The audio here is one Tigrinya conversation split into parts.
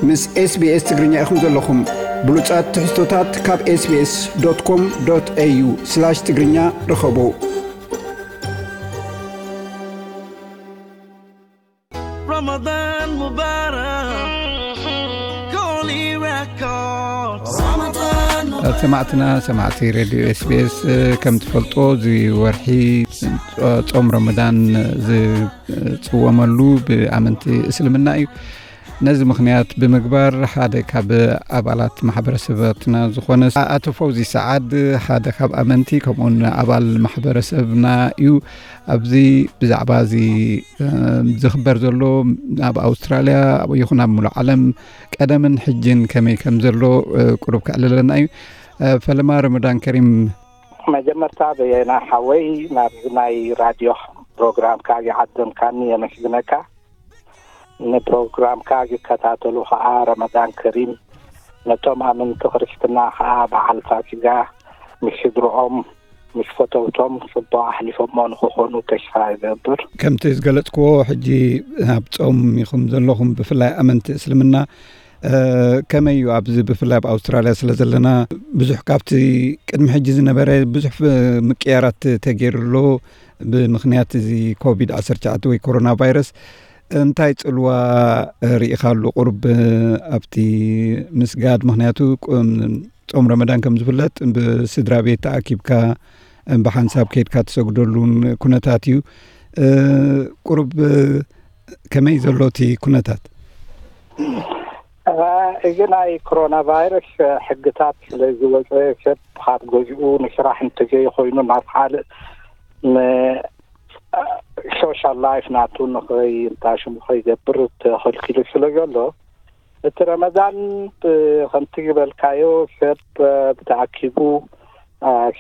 ምስ SBS ትግርኛ ኢኹም ዘለኹም። ብሉጻት ትሕዝቶታት ካብ SBS.com.au/ትግርኛ ርኸቡ። رمضان مبارك. كولي ريكوردز. ሰማዕትና፣ ሰማዕቲ ሬድዮ SBS፣ ከም ትፈልጦ፣ እዚ ወርሒ ጾም ረመዳን ዝጽወመሉ ብኣመንቲ እስልምና እዩ። ነዚ ምኽንያት ብምግባር፣ ሓደ ካብ ኣባላት ማሕበረሰባትና ዝኾነ ኣቶ ፈውዚ ሰዓድ፣ ሓደ ካብ ኣመንቲ፣ ከምኡውን ኣባል ማሕበረሰብና እዩ። ኣብዚ ብዛዕባ እዚ ዝኽበር ዘሎ፣ ኣብ ኣውስትራልያ ይኹን ኣብ ሙሉእ ዓለም ቀደምን ሕጅን ከመይ ከም ዘሎ ቁሩብ ከዕልለና እዩ። ፈለማ፣ ረመዳን ከሪም። መጀመርታ፣ በየና ሓወይ፣ ናብዚ ናይ ራድዮ ፕሮግራምካ ዝዓደምካኒ የመስግነካ። ንፕሮግራምካ ዝከታተሉ ከዓ ረመዳን ከሪም፣ ነቶም ኣመንቲ ክርስትና ከዓ በዓል ፋሲጋ ምስ ስድርኦም፣ ምስ ፈተውቶም ጽቡቕ ኣሕሊፎሞ ንክኾኑ ተስፋ እገብር። ከምቲ ዝገለጽክዎ፣ ሕጂ ኣብ ጾም ኢኹም ዘለኹም፣ ብፍላይ ኣመንቲ እስልምና። ከመይ እዩ ኣብዚ፣ ብፍላይ ኣብ ኣውስትራልያ ስለ ዘለና፣ ብዙሕ ካብቲ ቅድሚ ሕጂ ዝነበረ ብዙሕ ምቅያራት ተገይሩ ኣሎ? ብምኽንያት እዚ ኮቪድ ዓሰርተ ትሽዓተ ወይ ኮሮና ቫይረስ እንታይ ጽልዋ ርኢኻሉ? ቁሩብ ኣብቲ ምስጋድ፣ ምኽንያቱ ጾም ረመዳን ከም ዝፍለጥ ብስድራ ቤት ተኣኪብካ ብሓንሳብ ከይድካ ትሰግደሉን ኩነታት እዩ። ቁሩብ ከመይ ዘሎ እቲ ኩነታት? እዚ ናይ ኮሮና ቫይረስ ሕግታት ስለ ዝወፀ፣ ሰብ ካብ ገዝኡ ንስራሕ እንተዘይኮይኑ ናብ ካልእ ን ሶሻል ላይፍ ናቱ ንኸይ እንታሽሙ ከይገብር ተኸልኪሉ ስለ ዘሎ፣ እቲ ረመዳን ከምቲ ዝበልካዮ ሰብ ብተኣኪቡ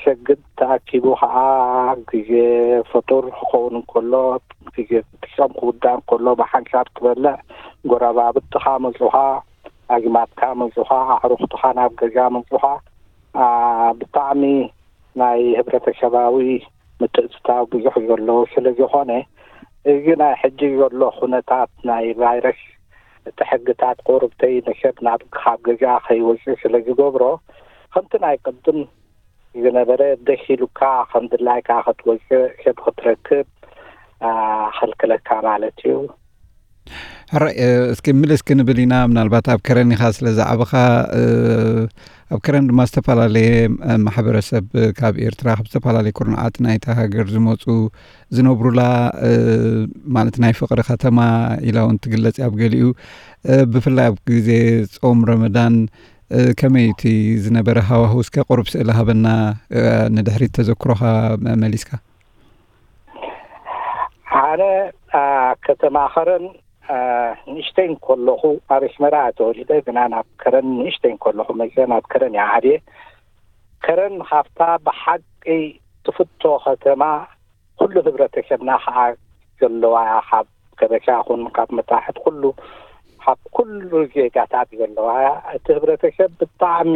ሰግድ፣ ተኣኪቡ ከዓ ግዜ ፍጡር ክኸውን እንከሎ፣ ግዜ ጾም ክውዳእ እንከሎ ብሓንሳብ ትበልዕ፣ ጎረባብትኻ መጹኻ፣ ኣዝማድካ መጹኻ፣ ኣዕሩኽትኻ ናብ ገዛ መጹኻ። ብጣዕሚ ናይ ህብረተሰባዊ ምትእትታው ብዙሕ ዘለዎ ስለ ዝኾነ፣ እዚ ናይ ሕጂ ዘሎ ኩነታት ናይ ቫይረስ፣ እቲ ሕግታት ቁሩብተይ ንሰብ ናብ ካብ ገዛ ከይወፅእ ስለ ዝገብሮ፣ ከምቲ ናይ ቅድም ዝነበረ ደስ ኢሉካ ከም ድላይካ ክትወፅእ፣ ሰብ ክትረክብ ከልክለካ ማለት እዩ። ሕራይ፣ እስኪ ምልስ ክንብል ኢና። ምናልባት ኣብ ከረን ኢኻ ስለ ዝዓበኻ፣ ኣብ ከረን ድማ ዝተፈላለየ ማሕበረሰብ ካብ ኤርትራ፣ ካብ ዝተፈላለየ ኩርናዓት ናይታ ሃገር ዝመፁ ዝነብሩላ፣ ማለት ናይ ፍቕሪ ከተማ ኢላ እውን ትግለጽ ኣብ ገሊኡ። ብፍላይ ኣብ ግዜ ጾም ረመዳን ከመይ እቲ ዝነበረ ሃዋህው? እስከ ቁሩብ ስእሊ ሃበና፣ ንድሕሪት ተዘክሮኻ መሊስካ። ኣነ ከተማ ከረን ንእሽተይ እንከለኹ፣ ኣብ ኣስመራ ተወሊደ፣ ግና ናብ ከረን ንእሽተይ እንከለኹ መፅአ፣ ናብ ከረን እየ ዓብየ። ከረን ካብታ ብሓቂ ትፍቶ ከተማ፣ ኩሉ ህብረተሰብና ከዓ ዘለዋ፣ ካብ ከበሻ ኹን ካብ መታሕት፣ ኩሉ፣ ካብ ኩሉ ዜጋታት ዘለዋ። እቲ ህብረተሰብ ብጣዕሚ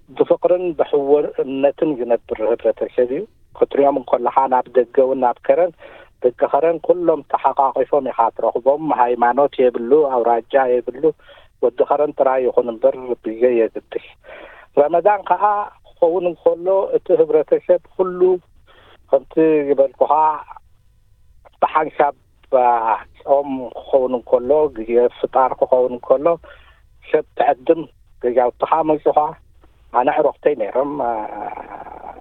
ብፍቕርን ብሕውነትን ዝነብር ህብረተሰብ እዩ። ክትሪኦም እንከለኻ፣ ናብ ደገ እውን፣ ናብ ከረን፣ ደቂ ከረን ኩሎም ተሓቋቒፎም ኢኻ ትረኽቦም። ሃይማኖት የብሉ፣ ኣውራጃ የብሉ፣ ወዲ ከረን ጥራይ ይኹን እምበር ብዘይ የግድስ። ረመዳን ከዓ ክኸውን እንከሎ፣ እቲ ህብረተሰብ ኩሉ ከምቲ ዝበልኩኻ ብሓንሳብ ጾም ክኸውን እንከሎ፣ ግዜ ፍጣር ክኸውን እንከሎ፣ ሰብ ትዕድም፣ ገዛውትኻ መጹኻ። ኣነ ዕሮኽተይ ነይሮም፣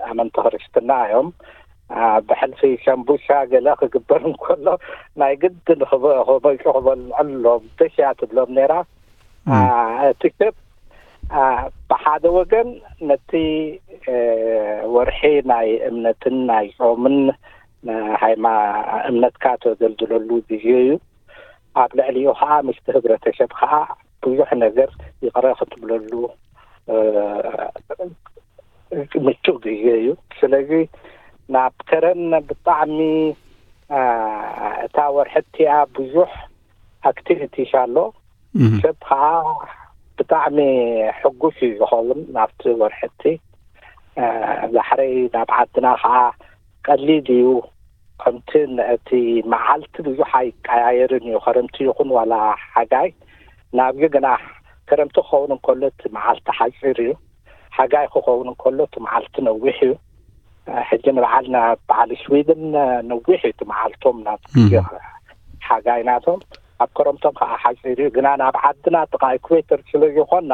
ኣመንቲ ክርስትና እዮም። ብሕልፊ ሰምቡሳ ገለ ክግበር እንከሎ፣ ናይ ግድን ክበ-፣ ክመጹ ክበልዐሎም ደስ እያ ትብሎም ነይራ። እቲ ሰብ ብሓደ ወገን ነቲ ወርሒ ናይ እምነትን ናይ ጾምን፣ ሃይማ-፣ እምነትካ ተደልድለሉ ግዜ እዩ። ኣብ ልዕሊኡ ከዓ ምስቲ ህብረተሰብ ከዓ ብዙሕ ነገር ይቕረ ክትብለሉ ምቹእ ግዜ እዩ። ስለዚ ናብ ከረን ብጣዕሚ፣ እታ ወርሒ እቲኣ ብዙሕ ኣክቲቪቲስ ኣሎ። ሰብ ከዓ ብጣዕሚ ሕጉስ እዩ ዝኸውን ናብቲ ወርሒ እቲ። ዳሕረይ ናብ ዓድና ከዓ ቀሊል እዩ። ከምቲ እቲ መዓልቲ ብዙሕ ኣይቀያየርን እዩ። ከረምቲ ይኹን ዋላ ሓጋይ ናብዚ ግና ከረምቲ ክኸውን እንከሎ እቲ መዓልቲ ሓፂር እዩ። ሓጋይ ክኸውን እንከሎ እቲ መዓልቲ ነዊሕ እዩ። ሕጂ ንበዓል ናብ በዓል ስዊድን ነዊሕ እዩ እቲ መዓልቶም ናብ ግዜ ሓጋይ ናቶም። ኣብ ከረምቶም ከዓ ሓፂር እዩ። ግና ናብ ዓድና ጥቃ ኢኩዌተር ስለ ዝኾና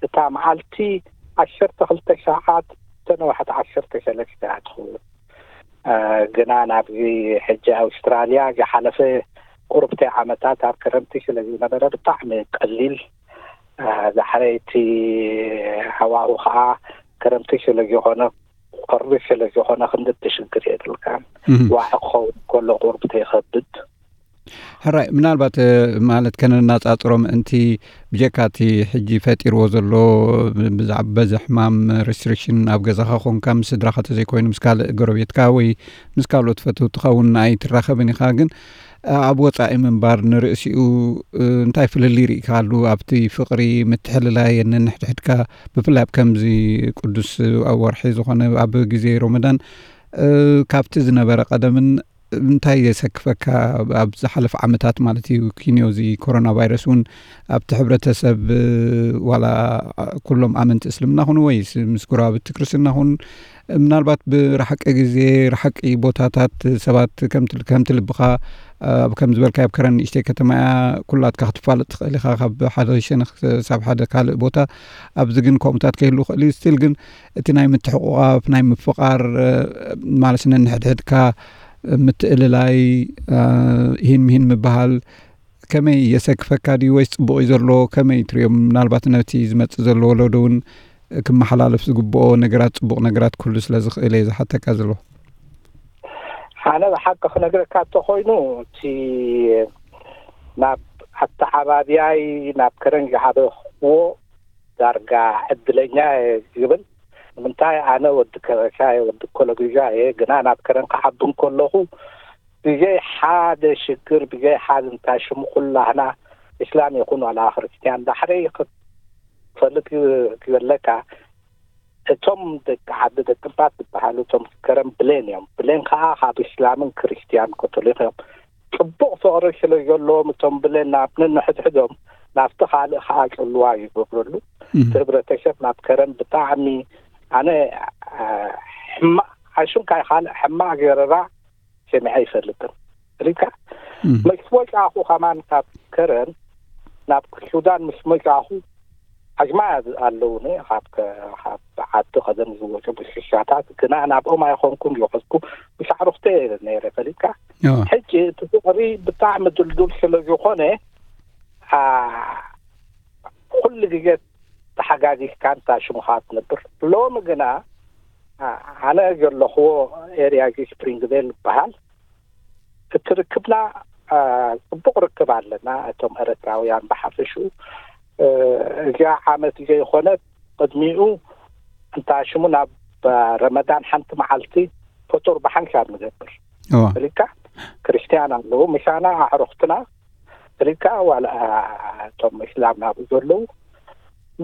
እታ መዓልቲ ዓሰርተ ክልተ ሰዓት ተነዋሕቲ ዓሰርተ ሰለስተ እያ ትኸውን። ግና ናብዚ ሕጂ ኣውስትራልያ ዝሓለፈ ቁርብቲ ዓመታት ኣብ ክረምቲ ስለ ዝነበረ ብጣዕሚ ቀሊል። ዳሕረይቲ ሃዋኡ ከዓ ክረምቲ ስለ ዝኾነ፣ ቁሪ ስለ ዝኾነ ክንዲ ትሽግር የብልካን። ዋዒ ክኸውን ከሎ ቁርብቲ ይኸብድ። ሕራይ፣ ምናልባት ማለት ከነናጻጽሮ ምእንቲ፣ ብጀካ እቲ ሕጂ ፈጢርዎ ዘሎ ብዛዕባ በዚ ሕማም ሬስትሪክሽን ኣብ ገዛኻ ኮንካ ምስ ስድራኻ ተዘይኮይኑ ምስ ካልእ ጎረቤትካ ወይ ምስ ካልኦት ፈተውትኻ እውን ኣይትራኸብን ኢኻ። ግን ኣብ ወጻኢ ምንባር ንርእሲኡ እንታይ ፍልልይ ርኢካሉ ኣብቲ ፍቕሪ ምትሕልላይ ነንሕድሕድካ፣ ብፍላይ ኣብ ከምዚ ቅዱስ ወርሒ ዝኾነ ኣብ ግዜ ሮመዳን ካብቲ ዝነበረ ቀደምን እንታይ የሰክፈካ? ኣብ ዝሓለፈ ዓመታት ማለት እዩ፣ ኪንዮ እዚ ኮሮና ቫይረስ እውን ኣብቲ ሕብረተሰብ ዋላ ኩሎም ኣመንቲ እስልምና ኹኑ ወይስ ምስ ጎረባብቲ ክርስትና ኹን ምናልባት ብረሓቂ ግዜ ረሓቂ ቦታታት ሰባት ከምቲ ልብኻ ኣብ ከም ዝበልካ ኣብ ከረን ንእሽተይ ከተማ እያ፣ ኩላትካ ክትፋለጥ ትኽእል ኢኻ ካብ ሓደ ሸነኽ ሳብ ሓደ ካልእ ቦታ። ኣብዚ ግን ከምኡታት ከይህሉ ይኽእል እዩ። ስቲል ግን እቲ ናይ ምትሕቑቓፍ ናይ ምፍቓር ማለት ነንሕድሕድካ ምትእልላይ፣ ሂን ምሂን ምበሃል ከመይ የሰክፈካ ድዩ ወይስ ጽቡቕ እዩ ዘሎ? ከመይ ትሪኦ? ምናልባት ነቲ ዝመጽእ ዘሎ ወለዶ እውን ክመሓላለፍ ዝግብኦ ነገራት፣ ጽቡቕ ነገራት ክህሉ ስለ ዝኽእል እየ ዝሓተካ ዘሎ። ኣነ ብሓቂ ክነግረካ እንተኾይኑ፣ እቲ ናብ ኣተዓባብያይ ናብ ከረን ዝዓበኽዎ ዳርጋ ዕድለኛ እየ ዝብል። ንምንታይ? ኣነ ወዲ ከበሻ እየ፣ ወዲ ኮሎግዛ እየ። ግና ናብ ከረን ክዓቢ እንከለኹ ብዘይ ሓደ ሽግር፣ ብዘይ ሓደ እንታይ ሽሙ ኩላህና እስላም ይኹን ዋላ ክርስትያን ዳሕረይ ክፈልጥ ክበለካ እቶም ደቂ ዓዲ ደቂ ባት ዝበሃሉ እቶም ከረን ብሌን እዮም። ብሌን ከዓ ካብ እስላምን ክርስትያን ካቶሊክ እዮም። ጽቡቕ ፍቕሪ ስለ ዘለዎም እቶም ብሌን ናብ ነንሕድሕዶም ናብቲ ካልእ ከዓ ጽልዋ ይገብረሉ። እቲ ህብረተሰብ ናብ ከረን ብጣዕሚ ኣነ ሕማቕ ኣሽንካይ ካልእ ሕማቕ ዘረባ ሰሚዐ ኣይፈልጥን። ሪካ ምስ ወጻኹ ከማን ካብ ከረን ናብ ሱዳን ምስ መጻኹ ኣጅማ ኣለውኒ ካብ ዓዲ ቀደም ዝወጹ ብሽሻታት ግና ናብኦም ኣይኾንኩም ዝኸድኩ ብሻዕሩክተ ነይረ ፈሊካ ሕጂ እቲ ፍቅሪ ብጣዕሚ ድልዱል ስለ ዝኾነ ኩሉ ግዜ ተሓጋጊዝካ እንታ ሽሙኻ ትነብር። ሎሚ ግና ኣነ ዘለኽዎ ኤርያ እዚ ስፕሪንግቬል ይበሃል። እቲ ርክብና ጽቡቕ ርክብ ኣለና። እቶም ኤረትራውያን ብሓፈሽኡ እዚኣ ዓመት ዘይኮነት ቅድሚኡ እንታ ሽሙ ናብ ረመዳን ሓንቲ መዓልቲ ፈጡር ብሓንሳብ ንገብር ሪካ ክርስትያን ኣለዉ ምሳና ኣዕሩኽትና ሪካ ዋላ እቶም እስላም ናብኡ ዘለዉ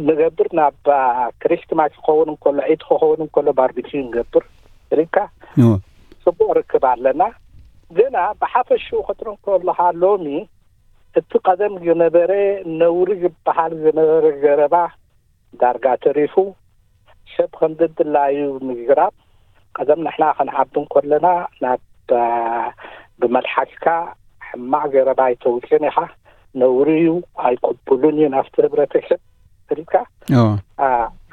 ንገብር ናብ ክሪስትማስ ክኸውን እንከሎ ዒድ ክኸውን እንከሎ ባርቢኪ ንገብር ሪካ ጽቡቕ ርክብ ኣለና። ግና ብሓፈሽኡ ክትርኢ ከለኻ ሎሚ እቲ ቀደም ዝነበረ ነውሪ ዝበሃል ዝነበረ ዘረባ ዳርጋ ተሪፉ ሰብ ከም ደድላዩ ምዝራብ ቀደም ንሕና ክንዓቢ እንከለና ናብ ብመልሓስካ ሕማቕ ዘረባ ኣይተውፅን ኢኻ ነውሪ እዩ ኣይቅቡልን እዩ ናብቲ ህብረተሰብ ስልካ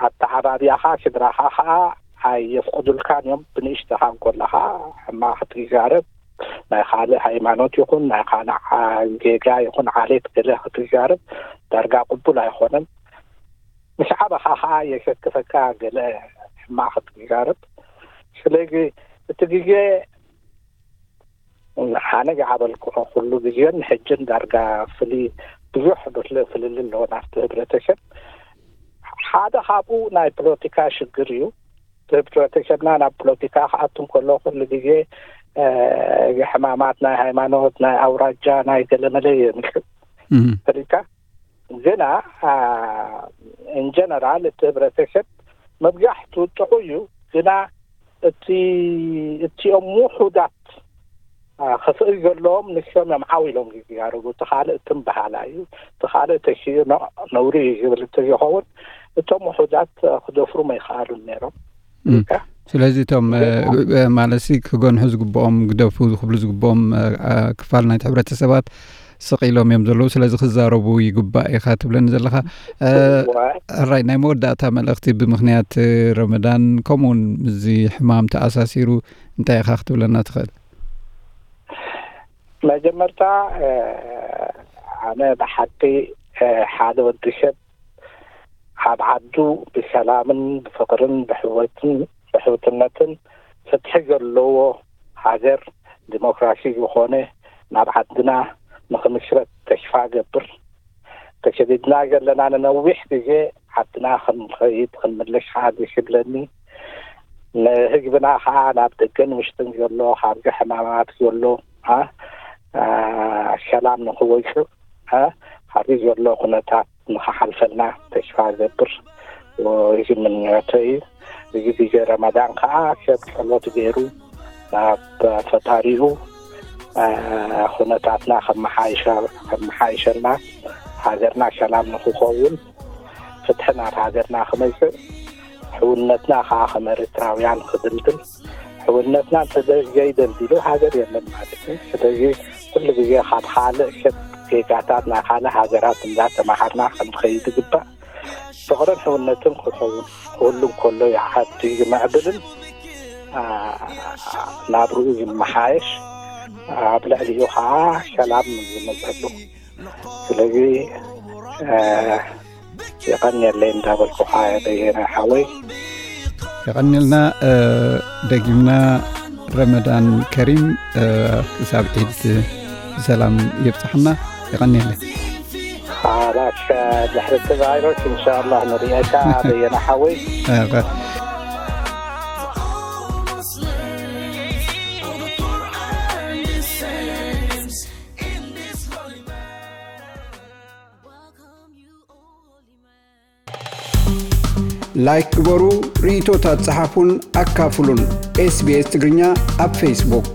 ኣተዓባቢያኻ ስድራኻ ከዓ ኣየፍቅዱልካን እዮም ብንእሽተኻ እንኮለኻ ሕማቕ ክትዛረብ ናይ ካልእ ሃይማኖት ይኹን ናይ ካልእ ጌጋ ይኹን ዓሌት ገለ ክትዛረብ ዳርጋ ቅቡል ኣይኾነን። ምስ ዓበኻ ከዓ የሸክፈካ ገለ ሕማቕ ክትዛረብ። ስለዚ እቲ ግዜ ኣነ ዝዓበልኩ ኩሉ ግዜን ሕጅን ዳርጋ ፍሊ ብዙሕ ፍልል ኣለዎ ናብቲ ህብረተሰብ። ሓደ ካብኡ ናይ ፖለቲካ ሽግር እዩ። ህብረተሰብና ናብ ፖለቲካ ክኣቱ እንከሎ ኩሉ ግዜ ሕማማት ናይ ሃይማኖት ናይ ኣውራጃ ናይ ገለመለ የምልክት ፈሊካ ግና ኢንጀነራል እቲ ህብረተሰብ መብዛሕቱ ጥዑ እዩ። ግና እቲ እቲኦም ውሑዳት ክፍእል ዘለዎም ንሶም እዮም ዓው ኢሎም ዝዛረቡ። እቲ ካልእ ትም በሃላ እዩ፣ እቲ ካልእ ተሽዮ ነውሪ እዩ ዝብል እንተዝኸውን እቶም ውሑዳት ክደፍሩ ኣይከኣሉን ነይሮም። ስለዚ እቶም ማለት ክገንሑ ዝግብኦም፣ ግደፉ ክብሉ ዝግብኦም ክፋል ናይቲ ሕብረተሰባት ስቕ ኢሎም እዮም ዘለዉ። ስለዚ ክዛረቡ ይግባእ ኢኻ ትብለኒ ዘለኻ። ሕራይ፣ ናይ መወዳእታ መልእኽቲ ብምኽንያት ረመዳን ከምኡውን እዚ ሕማም ተኣሳሲሩ እንታይ ኢኻ ክትብለና ትኽእል? መጀመርታ ኣነ ብሓቂ ሓደ ወዲ ሰብ ኣብ ዓዱ ብሰላምን ብፍቕርን ብሕወትን ብሕውትነትን ፍትሒ ዘለዎ ሃገር ዲሞክራሲ ዝኾነ ናብ ዓድና ንኽምስረት ተስፋ ገብር። ተሰዲድና ዘለና ንነዊሕ ግዜ ዓድና ክንኸይድ ክንምለስ ከዓ ደስ ይብለኒ። ንህዝብና ከዓ ናብ ደገን ውሽጥን ዘሎ ካብዚ ሕማማት ዘሎ ሰላም ንክወፅእ ካብዚ ዘሎ ኩነታት ንክሓልፈልና ተስፋ ገብር። እዚ ምንዮተይ እዩ። እዚ ግዜ ረመዳን ከዓ ሰብ ጸሎት ገይሩ ናብ ፈጣሪኡ ኩነታትና ከመሓይሸልና፣ ሃገርና ሰላም ንክኸውን፣ ፍትሒ ናብ ሃገርና ክመፅእ፣ ሕውነትና ከዓ ከም ኤርትራውያን ክድልድል። ሕውነትና እንተዘይደልዲሉ ሃገር የለን ማለት እዩ። ስለዚ ኩሉ ግዜ ካብ ካልእ ሰብ ዜጋታት ናይ ካልእ ሃገራት እንዳተማሃርና ክንኸይድ ይግባእ። ፍቕርን ሕውነትን ክኸውን ክህሉ እንከሎ እዩ ዓዲ ዝምዕብልን ናብርኡ ዝመሓየሽ፣ ኣብ ልዕሊኡ ከዓ ሰላም ዝመፀሉ። ስለዚ የቐንየለይ እንዳበልኩኻ በየነ ሓወይ። የቐንየልና። ደጊምና ረመዳን ከሪም፣ ክሳብ ዒድ ብሰላም የብፅሓና። የቐንየለይ። ሓላሽ ድሕሪ እቲ ቫይረስ እንሻላ ንርእየካ በየነ ሓወይ። ላይክ ግበሩ፣ ርእይቶታት ጸሓፉን ኣካፍሉን። ኤስቢኤስ ትግርኛ ኣብ ፌስቡክ።